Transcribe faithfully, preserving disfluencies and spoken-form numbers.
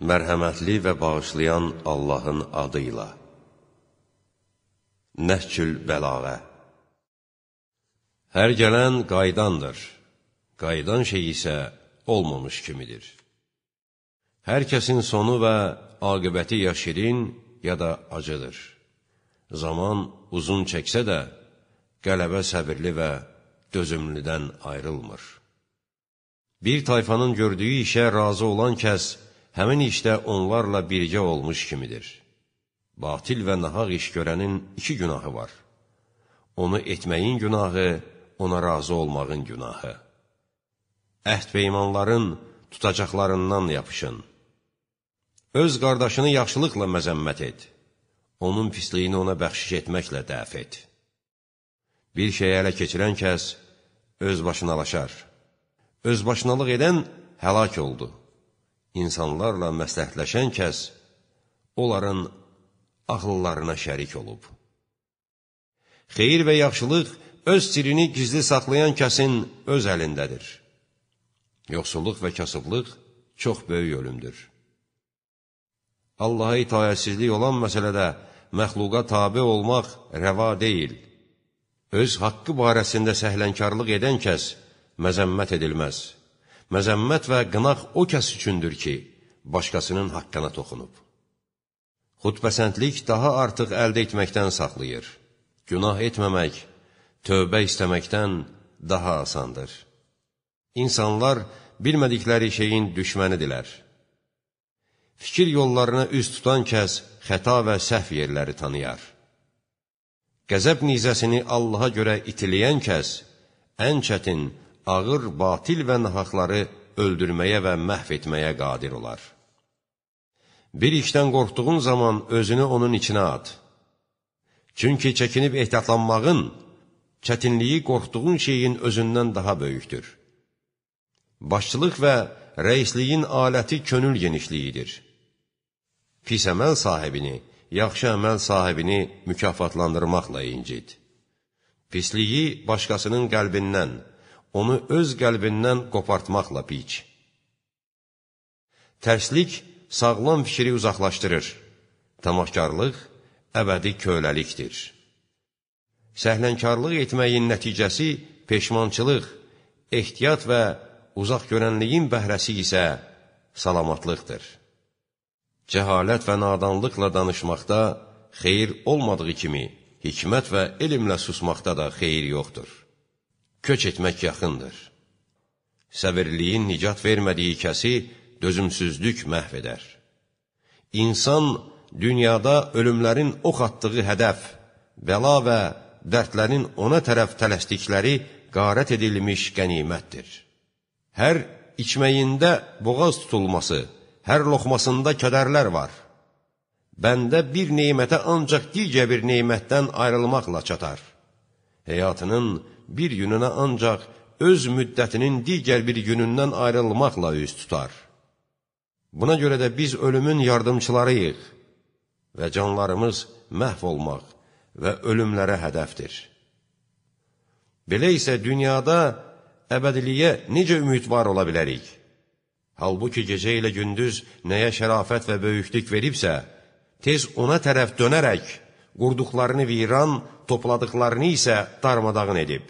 Mərhəmətli və bağışlayan Allahın adıyla. Nəhcül Bəlağə. Hər gələn qaydandır, qaydan şey isə olmamış kimidir. Hər kəsin sonu və aqibəti ya şirin, ya da acıdır. Zaman uzun çəksə də, qələbə səbirli və dözümlüdən ayrılmır. Bir tayfanın gördüyü işə razı olan kəs, həmin işdə onlarla birgə olmuş kimidir. Batil və nahaq iş görənin iki günahı var. Onu etməyin günahı, ona razı olmağın günahı. Əhd və imanların tutacaqlarından yapışın. Öz qardaşını yaxşılıqla məzəmmət et. Onun pisliyini ona bəxşiş etməklə dəf et. Bir şeyə ələ keçirən kəs özbaşınalaşar. Özbaşınalıq edən həlak oldu. İnsanlarla məsləhətləşən kəs onların ağıllarına şərik olub. Xeyir və yaxşılıq öz sirini gizli saxlayan kəsin öz əlindədir. Yoxsulluq və kasıblıq çox böyük ölümdür. Allaha itayətsizlik olan məsələdə məxluqa tabe olmaq rəva deyil. Öz haqqı barəsində səhlənkarlıq edən kəs məzəmmət edilməz. Məzəmmət və qınaq o kəs üçündür ki, başqasının haqqına toxunub. Xudpəsəndlik daha artıq əldə etməkdən saxlayır. Günah etməmək, tövbə istəməkdən daha asandır. İnsanlar bilmədikləri şeyin düşmənidirlər. Fikir yollarına üz tutan kəs xəta və səhv yerləri tanıyar. Qəzəb nizəsini Allaha görə itiləyən kəs ən çətin, ağır, batil və nahaqları öldürməyə və məhv etməyə qadir olar. Bir işdən qorxduğun zaman özünü onun içinə at. Çünki çəkinib ehtiyatlanmağın, çətinliyi qorxduğun şeyin özündən daha böyükdür. Başçılıq və rəisliyin aləti könül genişliyidir. Pis əməl sahibini, yaxşı əməl sahibini mükafatlandırmaqla incid. Pisliyi başqasının qəlbindən, onu öz qəlbindən qopartmaqla piç. Tərslik sağlam fikri uzaqlaşdırır. Tamahkarlıq əbədi köləlikdir. Səhlənkarlıq etməyin nəticəsi peşmançılıq, ehtiyat və uzaq görənliyin bəhrəsi isə salamatlıqdır. Cəhalət və nadanlıqla danışmaqda xeyir olmadığı kimi, hikmət və elmlə susmaqda da xeyir yoxdur. Köç etmək yaxındır. Səbirliyin nicat vermədiyi kəsi dözümsüzlük məhv edər. İnsan dünyada ölümlərin ox atdığı hədəf, bəla və dərdlərin ona tərəf tələsdikləri qarət edilmiş qənimətdir. Hər içməyində boğaz tutulması, hər loxmasında kədərlər var. Bəndə bir neymətə ancaq digər bir neymətdən ayrılmaqla çatar. Həyatının bir gününə ancaq öz müddətinin digər bir günündən ayrılmaqla üz tutar. Buna görə də biz ölümün yardımçılarıyıq və canlarımız məhv olmaq və ölümlərə hədəfdir. Belə isə dünyada əbədiliyə necə ümidvar ola bilərik? Halbuki gecə ilə gündüz nəyə şərafət və böyüklük veribsə, tez ona tərəf dönərək, qurduqlarını viran, topladıqlarını isə darmadağın edib.